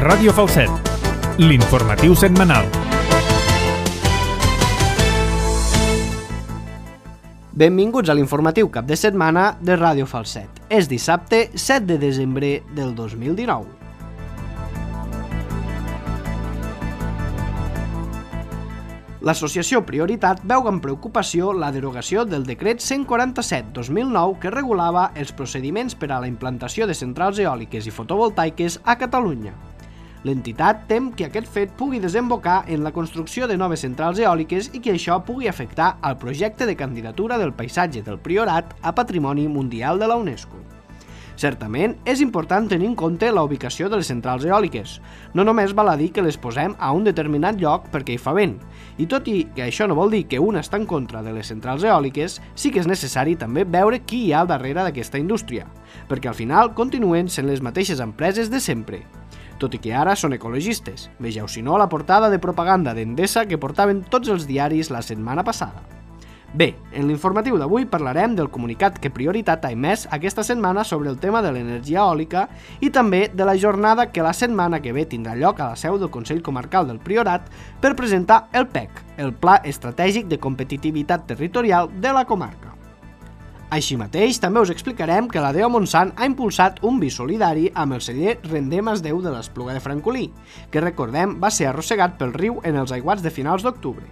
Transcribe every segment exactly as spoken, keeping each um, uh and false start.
Ràdio Falset, l'informatiu setmanal. Benvinguts a l'informatiu cap de setmana de Ràdio Falset. És dissabte set de desembre del dos mil dinou. L'associació Prioritat veu amb preocupació la derogació del decret cent quaranta-set dos mil nou que regulava els procediments per a la implantació de centrals eòliques i fotovoltaiques a Catalunya. L'entitat tem que aquest fet pugui desembocar en la construcció de noves centrals eòliques i que això pugui afectar al projecte de candidatura del paisatge del Priorat a Patrimoni Mundial de la UNESCO. Certament, és important tenir en compte la ubicació de les centrals eòliques. No només val a dir que les posem a un determinat lloc perquè hi fa vent. I tot i que això no vol dir que un està en contra de les centrals eòliques, sí que és necessari també veure qui hi ha al darrere d'aquesta indústria, perquè al final continuen sent les mateixes empreses de sempre. Tot i que ara són ecologistes. Vegeu si no la portada de propaganda d'Endesa que portaven tots els diaris la setmana passada. Bé, en l'informatiu d'avui parlarem del comunicat que Prioritat ha emès aquesta setmana sobre el tema de l'energia eòlica i també de la jornada que la setmana que ve tindrà lloc a la seu del Consell Comarcal del Priorat per presentar el P E C, el Pla Estratègic de Competitivitat Territorial de la comarca. Així mateix, també us explicarem que la D E O Montsant ha impulsat un vi solidari amb el celler Rendem es Déu de l'Espluga de Francolí, que recordem va ser arrossegat pel riu en els aiguats de finals d'octubre.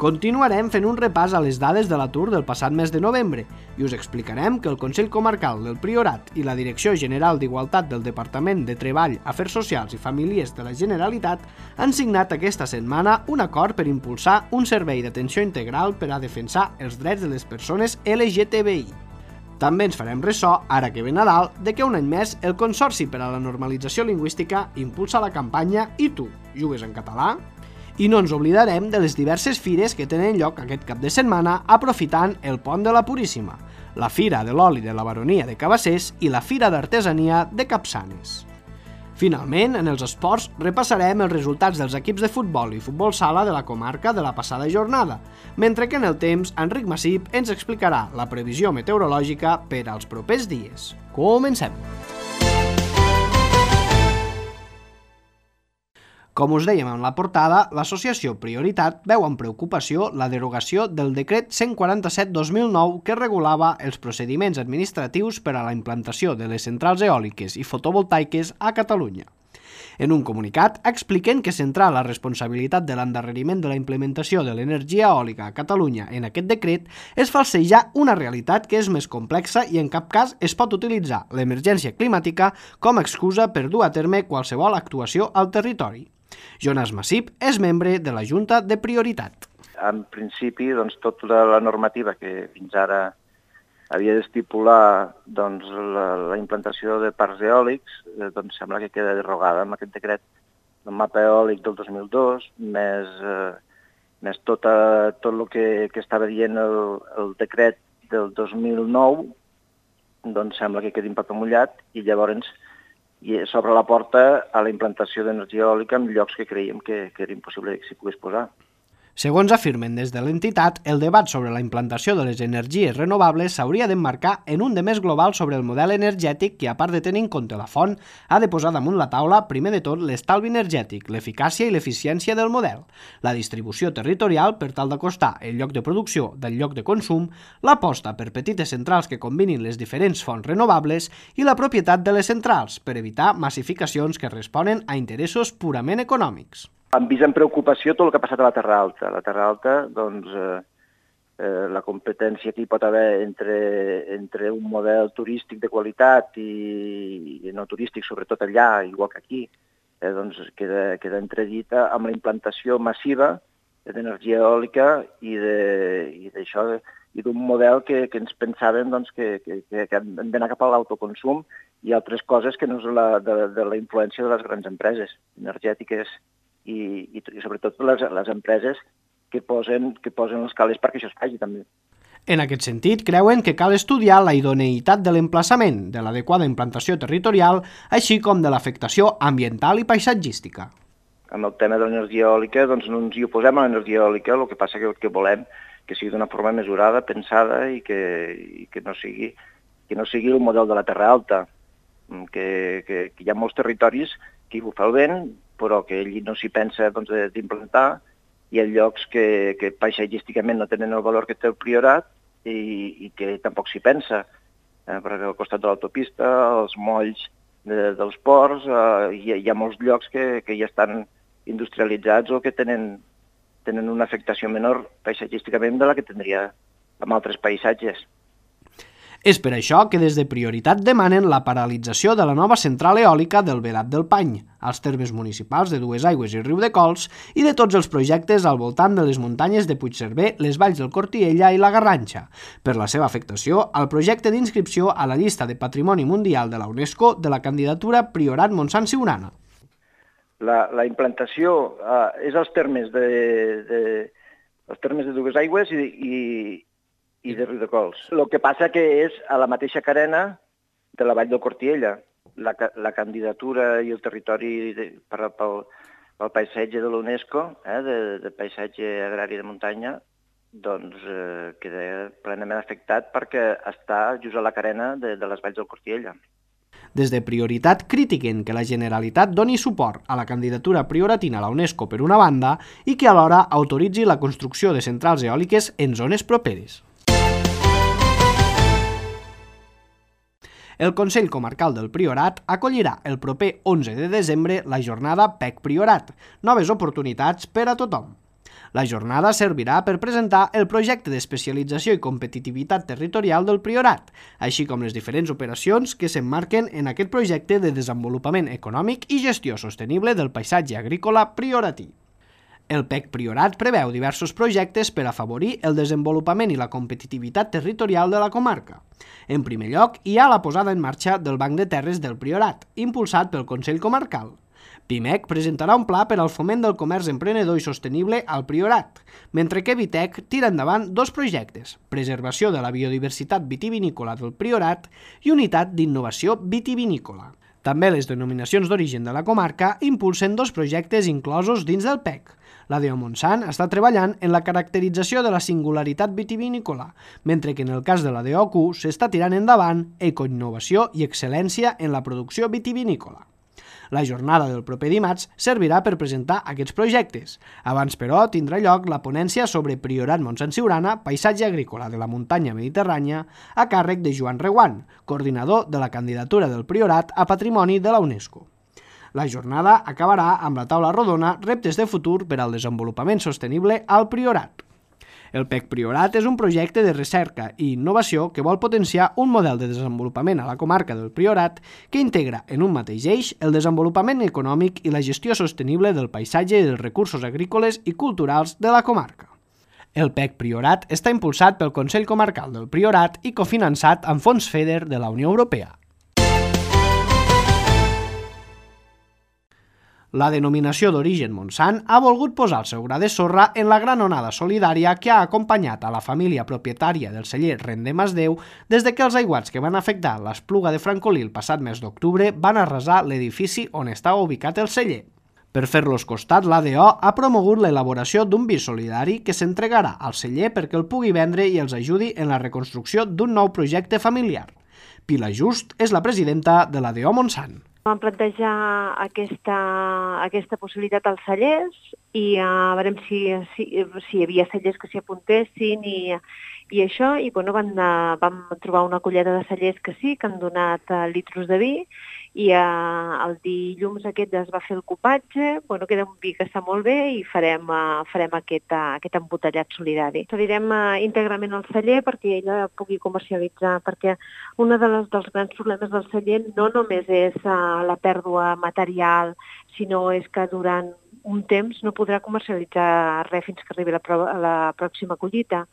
Continuarem fent un repàs a les dades de l'atur del passat mes de novembre i us explicarem que el Consell Comarcal del Priorat i la Direcció General d'Igualtat del Departament de Treball, Afers Socials i Famílies de la Generalitat han signat aquesta setmana un acord per impulsar un servei d'atenció integral per a defensar els drets de les persones L G T B I. També ens farem ressò, ara que ve Nadal, de que un any més el Consorci per a la Normalització Lingüística impulsa la campanya I tu, jugues en català? I no ens oblidarem de les diverses fires que tenen lloc aquest cap de setmana aprofitant el Pont de la Puríssima, la Fira de l'Oli de la Baronia de Cabassers i la Fira d'Artesania de Capçanes. Finalment, en els esports, repassarem els resultats dels equips de futbol i futbol sala de la comarca de la passada jornada, mentre que en el temps, Enric Massip ens explicarà la previsió meteorològica per als propers dies. Comencem! Com us dèiem en la portada, l'associació Prioritat veu amb preocupació la derogació del decret cent quaranta-set dos mil nou que regulava els procediments administratius per a la implantació de les centrals eòliques i fotovoltaiques a Catalunya. En un comunicat expliquen que centrar la responsabilitat de l'endarreriment de la implementació de l'energia eòlica a Catalunya en aquest decret és falsejar una realitat que és més complexa i en cap cas es pot utilitzar l'emergència climàtica com a excusa per dur a terme qualsevol actuació al territori. Jonas Massip és membre de la Junta de Prioritat. En principi, doncs, tota la normativa que fins ara havia d'estipular doncs, la, la implantació de parcs eòlics, eh, doncs sembla que queda derogada amb aquest decret del mapa eòlic del dos mil dos, més, eh, més tota, tot el que, que estava dient el, el decret del dos mil nou, doncs sembla que quedi en paper mullat i llavors i s'obre la porta a la implantació d'energia eòlica en llocs que creiem que, que era impossible que s'hi pogués posar. Segons afirmen des de l'entitat, el debat sobre la implantació de les energies renovables s'hauria d'emmarcar en un de més global sobre el model energètic que, a part de tenir en compte la font, ha de posar damunt la taula, primer de tot, l'estalvi energètic, l'eficàcia i l'eficiència del model, la distribució territorial per tal d'acostar el lloc de producció del lloc de consum, l'aposta per petites centrals que combinin les diferents fonts renovables i la propietat de les centrals, per evitar massificacions que responen a interessos purament econòmics. Hem vist amb preocupació tot el que ha passat a la Terra Alta. A la Terra Alta, doncs, eh, eh, la competència que hi pot haver entre, entre un model turístic de qualitat i, i no turístic, sobretot allà, igual que aquí, eh, doncs queda, queda entredita amb la implantació massiva d'energia eòlica i d'això, i d'un model que, que ens pensàvem doncs, que, que, que hem d'anar cap a l'autoconsum i altres coses que no és la, de, de la influència de les grans empreses energètiques I, i, i sobretot les, les empreses que posen, que posen els calés perquè això es faci també. En aquest sentit, creuen que cal estudiar la idoneïtat de l'emplaçament, de l'adequada implantació territorial, així com de l'afectació ambiental i paisatgística. Amb el tema de l'energia eòlica, doncs no ens hi oposem a l'energia eòlica, el que passa que, que volem que sigui d'una forma mesurada, pensada i que, i que, no sigui, que no sigui el model de la Terra Alta, que, que, que hi ha molts territoris aquí bufa el vent, però que ell no s'hi pensa doncs, d'implantar. Hi ha llocs que, que paisatgísticament no tenen el valor que té el Priorat i, i que tampoc s'hi pensa. Eh, perquè al costat de l'autopista, els molls de, dels ports, eh, hi, hi ha molts llocs que, que ja estan industrialitzats o que tenen, tenen una afectació menor paisatgísticament de la que tindria amb altres paisatges. És per això que des de Prioritat demanen la paralització de la nova central eòlica del Vedat del Pany, als termes municipals de Duesaigües i Riudecols i de tots els projectes al voltant de les muntanyes de Puigcerver, les valls del Cortiella i la Garrantxa, per la seva afectació al projecte d'inscripció a la llista de Patrimoni Mundial de la UNESCO de la candidatura Priorat Montsant Siurana. La, la implantació eh, és als termes de, de, els termes de Duesaigües i, i i de Riudecols. El que passa que és a la mateixa carena de la vall del Cortiella. La, la candidatura i el territori de, per, pel, pel paisatge de l'UNESCO, eh, de, de paisatge agrari de muntanya, doncs eh, queda plenament afectat perquè està just a la carena de, de les valls del Cortiella. Des de Prioritat critiquen que la Generalitat doni suport a la candidatura prioratina a la UNESCO per una banda i que alhora autoritzi la construcció de centrals eòliques en zones properes. El Consell Comarcal del Priorat acollirà el proper onze de desembre la jornada P E C Priorat, noves oportunitats per a tothom. La jornada servirà per presentar el projecte d'especialització i competitivitat territorial del Priorat, així com les diferents operacions que s'emmarquen en aquest projecte de desenvolupament econòmic i gestió sostenible del paisatge agrícola prioratí. El P E C Priorat preveu diversos projectes per afavorir el desenvolupament i la competitivitat territorial de la comarca. En primer lloc, hi ha la posada en marxa del Banc de Terres del Priorat, impulsat pel Consell Comarcal. Pimec presentarà un pla per al foment del comerç emprenedor i sostenible al Priorat, mentre que Vitec tira endavant dos projectes, preservació de la biodiversitat vitivinícola del Priorat i unitat d'innovació vitivinícola. També les denominacions d'origen de la comarca impulsen dos projectes inclosos dins del P E C. La D E O Montsant està treballant en la caracterització de la singularitat vitivinícola, mentre que en el cas de la D E O Q s'està tirant endavant ecoinnovació i excel·lència en la producció vitivinícola. La jornada del proper dimarts servirà per presentar aquests projectes. Abans, però, tindrà lloc la ponència sobre Priorat Montsant Siurana, paisatge agrícola de la muntanya mediterrània, a càrrec de Joan Reguant, coordinador de la candidatura del Priorat a Patrimoni de la UNESCO. La jornada acabarà amb la taula rodona Reptes de futur per al desenvolupament sostenible al Priorat. El P E C Priorat és un projecte de recerca i innovació que vol potenciar un model de desenvolupament a la comarca del Priorat que integra en un mateix eix el desenvolupament econòmic i la gestió sostenible del paisatge i dels recursos agrícoles i culturals de la comarca. El P E C Priorat està impulsat pel Consell Comarcal del Priorat i cofinançat amb fons FEDER de la Unió Europea. La denominació d'origen Montsant ha volgut posar el seu gra de sorra en la gran onada solidària que ha acompanyat a la família propietària del celler Rende Masdeu des de que els aiguats que van afectar l'Espluga de Francolí el passat mes d'octubre van arrasar l'edifici on estava ubicat el celler. Per fer-los costat, l'A D O ha promogut l'elaboració d'un vi solidari que s'entregarà al celler perquè el pugui vendre i els ajudi en la reconstrucció d'un nou projecte familiar. Pilar Just és la presidenta de l'A D O Montsant. Vam plantejar aquesta, aquesta possibilitat als cellers i uh, veurem si, si, si hi havia cellers que s'hi apuntessin i, i això, i bueno, van, uh, vam trobar una collada de cellers que sí, que han donat uh, litros de vi, i uh, el dilluns aquest es va fer el copatge, bueno, queda un vi que està molt bé i farem, uh, farem aquest, uh, aquest embotellat solidari. Cedirem uh, íntegrament al celler perquè ella pugui comercialitzar, perquè un de les, dels grans problemes del celler no només és uh, la pèrdua material, sinó és que durant un temps no podrà comercialitzar res fins que arribi la, pro la pròxima collita.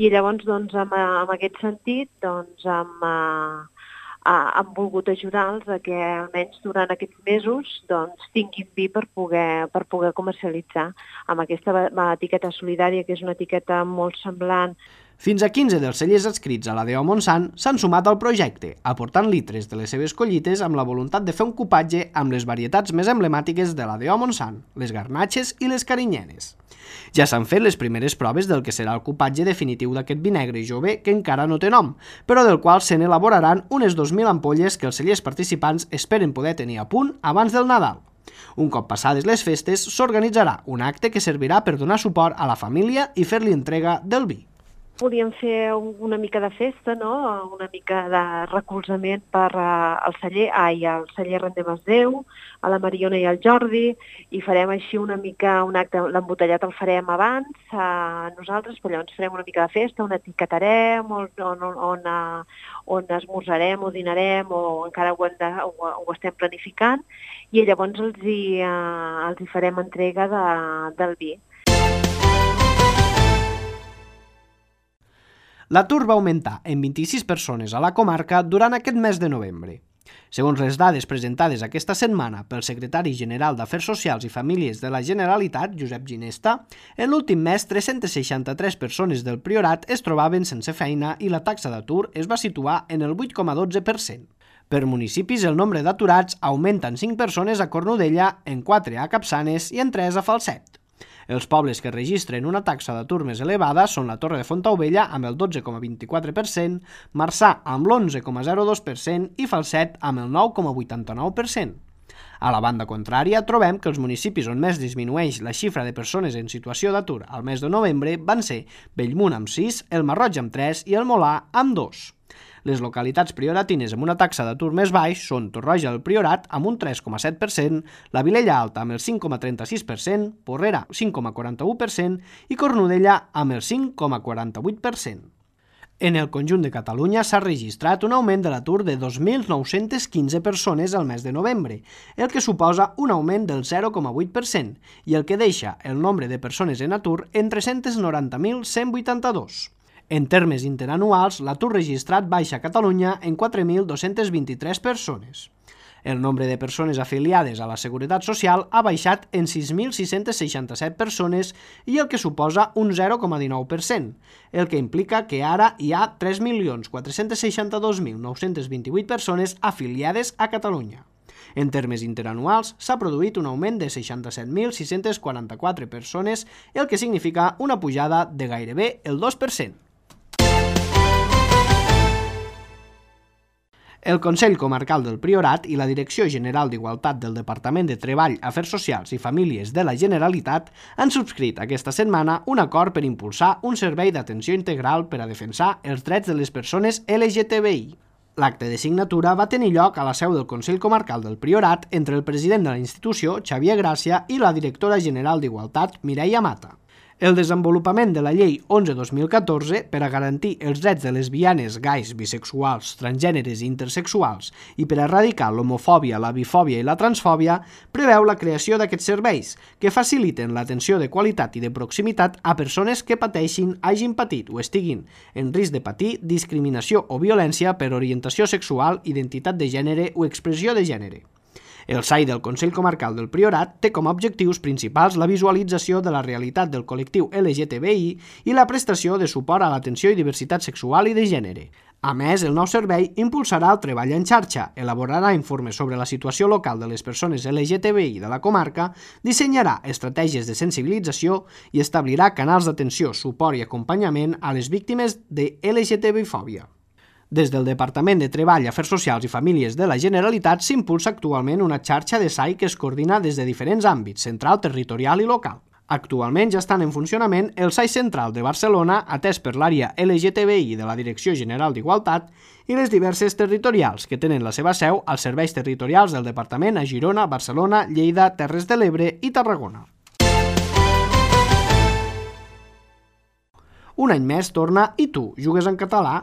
I llavors, doncs, amb, amb aquest sentit, doncs, amb... Uh, han volgut ajudar-los a que almenys durant aquests mesos doncs, tinguin vi per poder, per poder comercialitzar amb aquesta etiqueta solidària, que és una etiqueta molt semblant. Fins a quinze dels cellers adscrits a la D E O Montsant s'han sumat al projecte, aportant litres de les seves collites amb la voluntat de fer un copatge amb les varietats més emblemàtiques de la D E O Montsant, les garnatxes i les carinyenes. Ja s'han fet les primeres proves del que serà el copatge definitiu d'aquest vi negre jove que encara no té nom, però del qual se n'elaboraran unes dos mil ampolles que els cellers participants esperen poder tenir a punt abans del Nadal. Un cop passades les festes, s'organitzarà un acte que servirà per donar suport a la família i fer-li entrega del vi. Podíem fer una mica de festa, no? Una mica de recolzament per uh, al celler, ai, al celler Rendem es Déu, a la Mariona i al Jordi, i farem així una mica un acte, l'embotellat el farem abans, uh, nosaltres, però llavors farem una mica de festa, on etiquetarem, on, on, on, uh, on esmorzarem o dinarem, o encara ho, hem de, ho, ho estem planificant, i llavors els hi, uh, els hi farem entrega de, del vi. L'atur va augmentar en vint-i-sis persones a la comarca durant aquest mes de novembre. Segons les dades presentades aquesta setmana pel secretari general d'Afers Socials i Famílies de la Generalitat, Josep Ginesta, en l'últim mes tres-centes seixanta-tres persones del Priorat es trobaven sense feina i la taxa d'atur es va situar en el vuit coma dotze per cent. Per municipis, el nombre d'aturats augmenta en cinc persones a Cornudella, en quatre a Capçanes i en tres a Falset. Els pobles que registren una taxa d'atur més elevada són la Torre de Fontaubella amb el dotze coma vint-i-quatre per cent, Marçà amb l'onze coma zero dos per cent i Falset amb el nou coma vuitanta-nou per cent. A la banda contrària, trobem que els municipis on més disminueix la xifra de persones en situació d'atur al mes de novembre van ser Bellmunt amb sis, el Marroig amb tres i el Molà amb dos. Les localitats prioratines amb una taxa d'atur més baix són Torroja del Priorat amb un tres coma set per cent, la Vilella Alta amb el cinc coma trenta-sis per cent, Porrera cinc coma quaranta-u per cent i Cornudella amb el cinc coma quaranta-vuit per cent. En el conjunt de Catalunya s'ha registrat un augment de l'atur de dos mil nou-centes quinze persones al mes de novembre, el que suposa un augment del zero coma vuit per cent i el que deixa el nombre de persones en atur en tres-cents noranta mil cent vuitanta-dos. En termes interanuals, l'atur registrat baixa a Catalunya en quatre mil dos-centes vint-i-tres persones. El nombre de persones afiliades a la Seguretat Social ha baixat en sis mil sis-centes seixanta-set persones i el que suposa un zero coma dinou per cent, el que implica que ara hi ha tres milions quatre-cents seixanta-dos mil nou-cents vint-i-vuit persones afiliades a Catalunya. En termes interanuals, s'ha produït un augment de seixanta-set mil sis-cents quaranta-quatre persones, el que significa una pujada de gairebé el dos per cent. El Consell Comarcal del Priorat i la Direcció General d'Igualtat del Departament de Treball, Afers Socials i Famílies de la Generalitat han subscrit aquesta setmana un acord per impulsar un servei d'atenció integral per a defensar els drets de les persones L G T B I. L'acte de signatura va tenir lloc a la seu del Consell Comarcal del Priorat entre el president de la institució, Xavier Gràcia, i la directora general d'Igualtat, Mireia Mata. El desenvolupament de la Llei onze dos mil catorze per a garantir els drets de lesbianes, gais, bisexuals, transgèneres i intersexuals i per a erradicar l'homofòbia, la bifòbia i la transfòbia preveu la creació d'aquests serveis que faciliten l'atenció de qualitat i de proximitat a persones que pateixin, hagin patit o estiguin en risc de patir discriminació o violència per orientació sexual, identitat de gènere o expressió de gènere. El S A I del Consell Comarcal del Priorat té com a objectius principals la visualització de la realitat del col·lectiu L G T B I i la prestació de suport a l'atenció i diversitat sexual i de gènere. A més, el nou servei impulsarà el treball en xarxa, elaborarà informes sobre la situació local de les persones L G T B I de la comarca, dissenyarà estratègies de sensibilització i establirà canals d'atenció, suport i acompanyament a les víctimes de L G T B I fòbia. Des del Departament de Treball, Afers Socials i Famílies de la Generalitat s'impulsa actualment una xarxa de S A I que es coordina des de diferents àmbits, central, territorial i local. Actualment ja estan en funcionament el S A I Central de Barcelona, atès per l'àrea L G T B I de la Direcció General d'Igualtat, i les diverses territorials, que tenen la seva seu als serveis territorials del Departament a Girona, Barcelona, Lleida, Terres de l'Ebre i Tarragona. Un any més torna I tu jugues en català?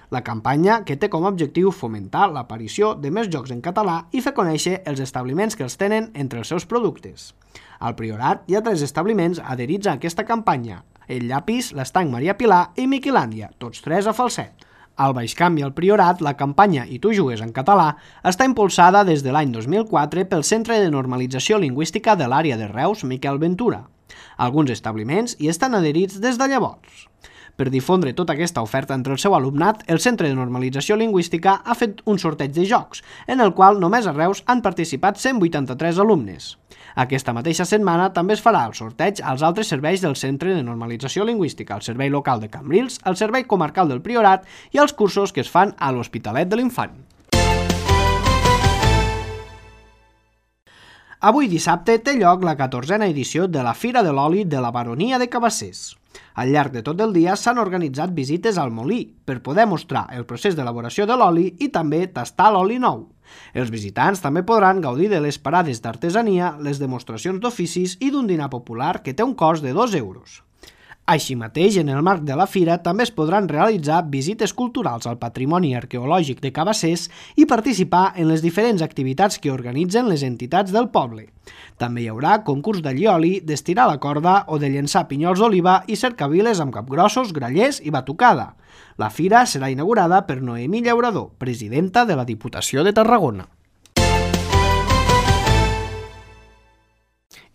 La campanya que té com a objectiu fomentar l'aparició de més jocs en català i fer conèixer els establiments que els tenen entre els seus productes. Al Priorat hi ha tres establiments adherits a aquesta campanya: el Llapis, l'Estanc Maria Pilar i Miquilàndia, tots tres a Falset. Al Baixcamp i al Priorat, la campanya I tu jugues en català està impulsada des de l'any dos mil quatre pel Centre de Normalització Lingüística de l'àrea de Reus, Miquel Ventura. Alguns establiments hi estan adherits des de llavors. Per difondre tota aquesta oferta entre el seu alumnat, el Centre de Normalització Lingüística ha fet un sorteig de jocs, en el qual només a Reus han participat cent vuitanta-tres alumnes. Aquesta mateixa setmana també es farà el sorteig als altres serveis del Centre de Normalització Lingüística, el Servei Local de Cambrils, el Servei Comarcal del Priorat i els cursos que es fan a l'Hospitalet de l'Infant. Avui dissabte té lloc la catorzena edició de la Fira de l'Oli de la Baronia de Cabassers. Al llarg de tot el dia s'han organitzat visites al molí per poder mostrar el procés d'elaboració de l'oli i també tastar l'oli nou. Els visitants també podran gaudir de les parades d'artesania, les demostracions d'oficis i d'un dinar popular que té un cost de dos euros. Així mateix, en el marc de la fira també es podran realitzar visites culturals al patrimoni arqueològic de Cabassers i participar en les diferents activitats que organitzen les entitats del poble. També hi haurà concurs d'allioli, d'estirar la corda o de llençar pinyols d'oliva i cercaviles amb capgrossos, grallers i batucada. La fira serà inaugurada per Noemí Llaurador, presidenta de la Diputació de Tarragona.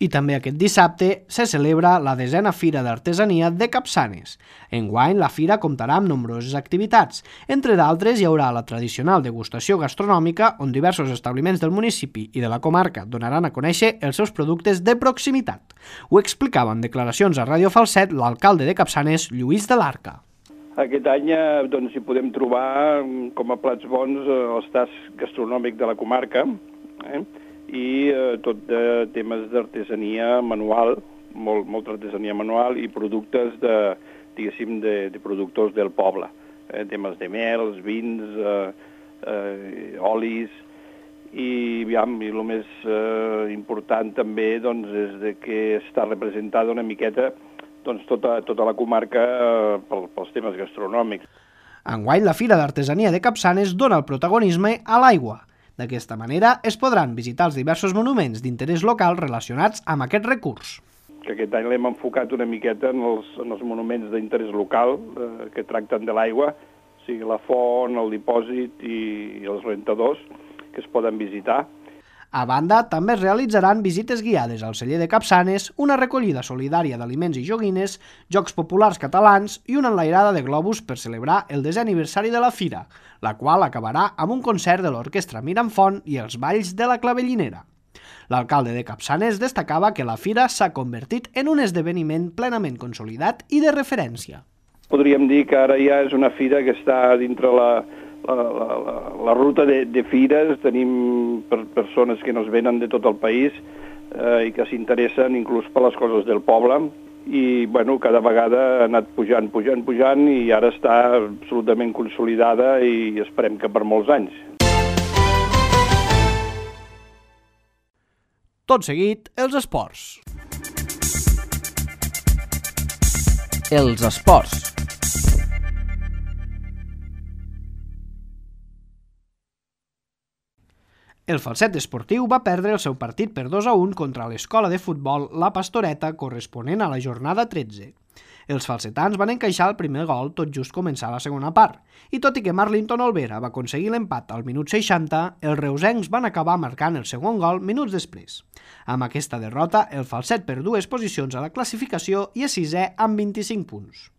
I també aquest dissabte se celebra la desena Fira d'Artesania de Capçanes. Enguany, la fira comptarà amb nombroses activitats. Entre d'altres, hi haurà la tradicional degustació gastronòmica, on diversos establiments del municipi i de la comarca donaran a conèixer els seus productes de proximitat. Ho explicava en declaracions a Ràdio Falset l'alcalde de Capçanes, Lluís de l'Arca. Aquest any doncs, hi podem trobar com a plats bons els tasts gastronòmics de la comarca, eh? i eh, tot de temes d'artesania manual, molt, molta artesania manual i productes de, diguéssim, de, de productors del poble. Eh, temes de mels, vins, eh, eh, olis, i, aviam, i el més eh, important també doncs, és de que està representada una miqueta doncs, tota, tota la comarca eh, pel, pels temes gastronòmics. Enguany, la Fira d'Artesania de Capçanes dona el protagonisme a l'aigua. D'aquesta manera es podran visitar els diversos monuments d'interès local relacionats amb aquest recurs. Que aquest any l'hem enfocat una miqueta en els, en els monuments d'interès local eh, que tracten de l'aigua, o sigui, la font, el dipòsit i, i els rentadors que es poden visitar. A banda, també es realitzaran visites guiades al celler de Capçanes, una recollida solidària d'aliments i joguines, jocs populars catalans i una enlairada de globus per celebrar el desè aniversari de la fira, la qual acabarà amb un concert de l'orquestra Miramfont i els balls de la Clavellinera. L'alcalde de Capçanes destacava que la fira s'ha convertit en un esdeveniment plenament consolidat i de referència. Podríem dir que ara ja és una fira que està dintre la, la, la, la, la ruta de, de fires. Tenim per, persones que nos venen de tot el país eh, i que s'interessen inclús per les coses del poble. I bueno, cada vegada ha anat pujant, pujant, pujant i ara està absolutament consolidada i esperem que per molts anys. Tot seguit, els esports. Els esports. El Falset Esportiu va perdre el seu partit per dos a un contra l'escola de futbol La Pastoreta corresponent a la jornada tretze. Els falsetans van encaixar el primer gol tot just començar la segona part, i tot i que Marlinton Olvera va aconseguir l'empat al minut seixanta, els reusencs van acabar marcant el segon gol minuts després. Amb aquesta derrota, el Falset perd dues posicions a la classificació i és sisè amb vint-i-cinc punts.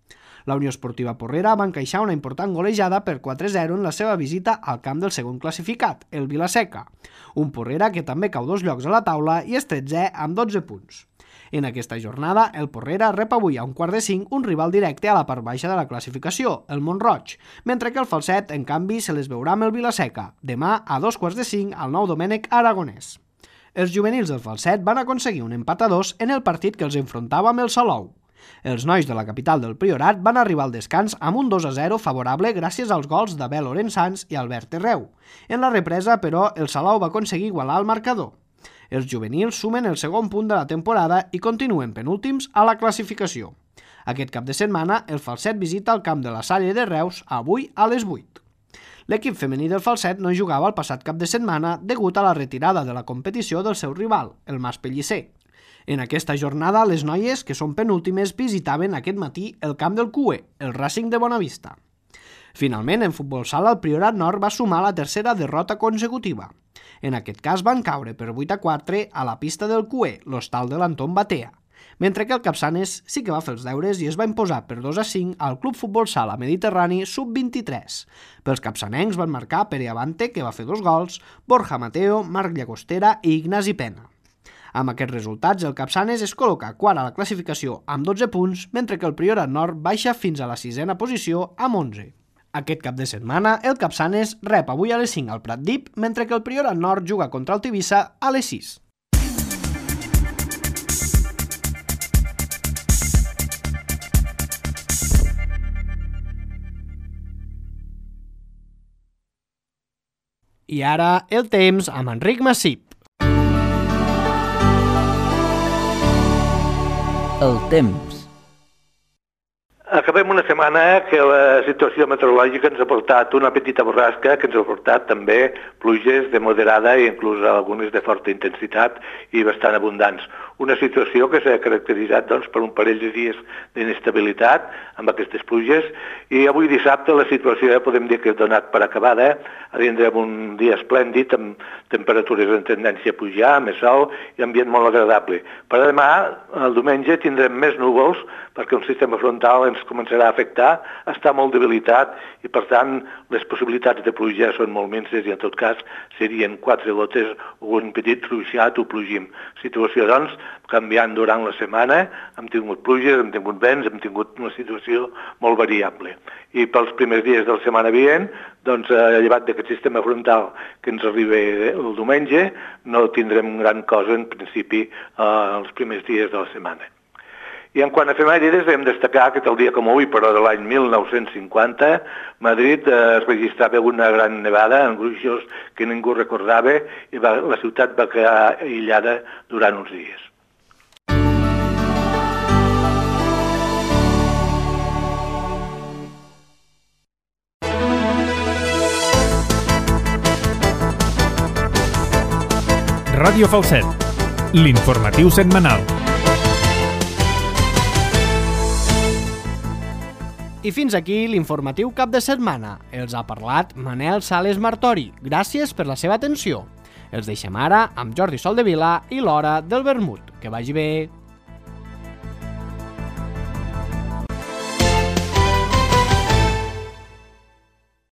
La Unió Esportiva Porrera va encaixar una important golejada per quatre a zero en la seva visita al camp del segon classificat, el Vilaseca, un Porrera que també cau dos llocs a la taula i és tretzè amb dotze punts. En aquesta jornada, el Porrera rep avui a un quart de cinc un rival directe a la part baixa de la classificació, el Mont-roig, mentre que el Falset, en canvi, se les veurà amb el Vilaseca, demà a dos quarts de cinc al Nou Domènec Aragonès. Els juvenils del Falset van aconseguir un empat a dos en el partit que els enfrontava amb el Salou. Els nois de la capital del Priorat van arribar al descans amb un dos a zero favorable gràcies als gols d'Abel Lorenzans i Albert Terreu. En la represa, però, el Salou va aconseguir igualar el marcador. Els juvenils sumen el segon punt de la temporada i continuen penúltims a la classificació. Aquest cap de setmana, el Falset visita el camp de la Salle de Reus avui a les vuit. L'equip femení del Falset no jugava el passat cap de setmana degut a la retirada de la competició del seu rival, el Mas Pellicer. En aquesta jornada, les noies, que són penúltimes, visitaven aquest matí el camp del C U E, el Racing de Bonavista. Finalment, en futbol sala, el Priorat Nord va sumar la tercera derrota consecutiva. En aquest cas van caure per vuit a quatre a la pista del C U E, l'hostal de l'Anton Batea, mentre que el Capçanes sí que va fer els deures i es va imposar per dos a cinc al Club Futbol Sala Mediterrani sub vint-i-tres. Pels capçanencs van marcar Pere Avante, que va fer dos gols, Borja Mateo, Marc Llagostera i Ignasi Pena. Amb aquests resultats, el Capçanes es col·loca quart a la classificació amb dotze punts, mentre que el Priorat Nord baixa fins a la sisena posició amb onze. Aquest cap de setmana, el Capçanes rep avui a les cinc al Pratdip, mentre que el Priorat Nord juga contra el Tivissa a les sis. I ara el temps amb Enric Massip. El temps. Acabem una setmana que la situació meteorològica ens ha portat una petita borrasca que ens ha portat també pluges de moderada i inclús algunes de forta intensitat i bastant abundants. Una situació que s'ha caracteritzat doncs, per un parell de dies d'inestabilitat amb aquestes pluges i avui dissabte la situació ja podem dir que ha donat per acabada. Tindrem un dia esplèndid amb temperatures en tendència a pujar, més sol i ambient molt agradable. Per demà, el diumenge, tindrem més núvols perquè un sistema frontal ens començarà a afectar, està molt debilitat i per tant les possibilitats de pluja són molt minses i en tot cas serien quatre gotes o un petit ruixat o plogim. Situació doncs canviant durant la setmana, hem tingut pluges, hem tingut vents, hem tingut una situació molt variable. I pels primers dies de la setmana vinent, doncs, llevat d'aquest sistema frontal que ens arriba el diumenge, no tindrem gran cosa en principi els primers dies de la setmana. I en quant a efemèrides, hem destacar que el dia com avui, però de l'any mil nou-cents cinquanta, Madrid es registrava una gran nevada en gruixos que ningú recordava i va, la ciutat va quedar aïllada durant uns dies. Ràdio Falset, l'informatiu setmanal. I fins aquí l'informatiu cap de setmana. Els ha parlat Manel Sales Martori. Gràcies per la seva atenció. Els deixem ara amb Jordi Soldevila i l'Hora del Vermut. Que vagi bé.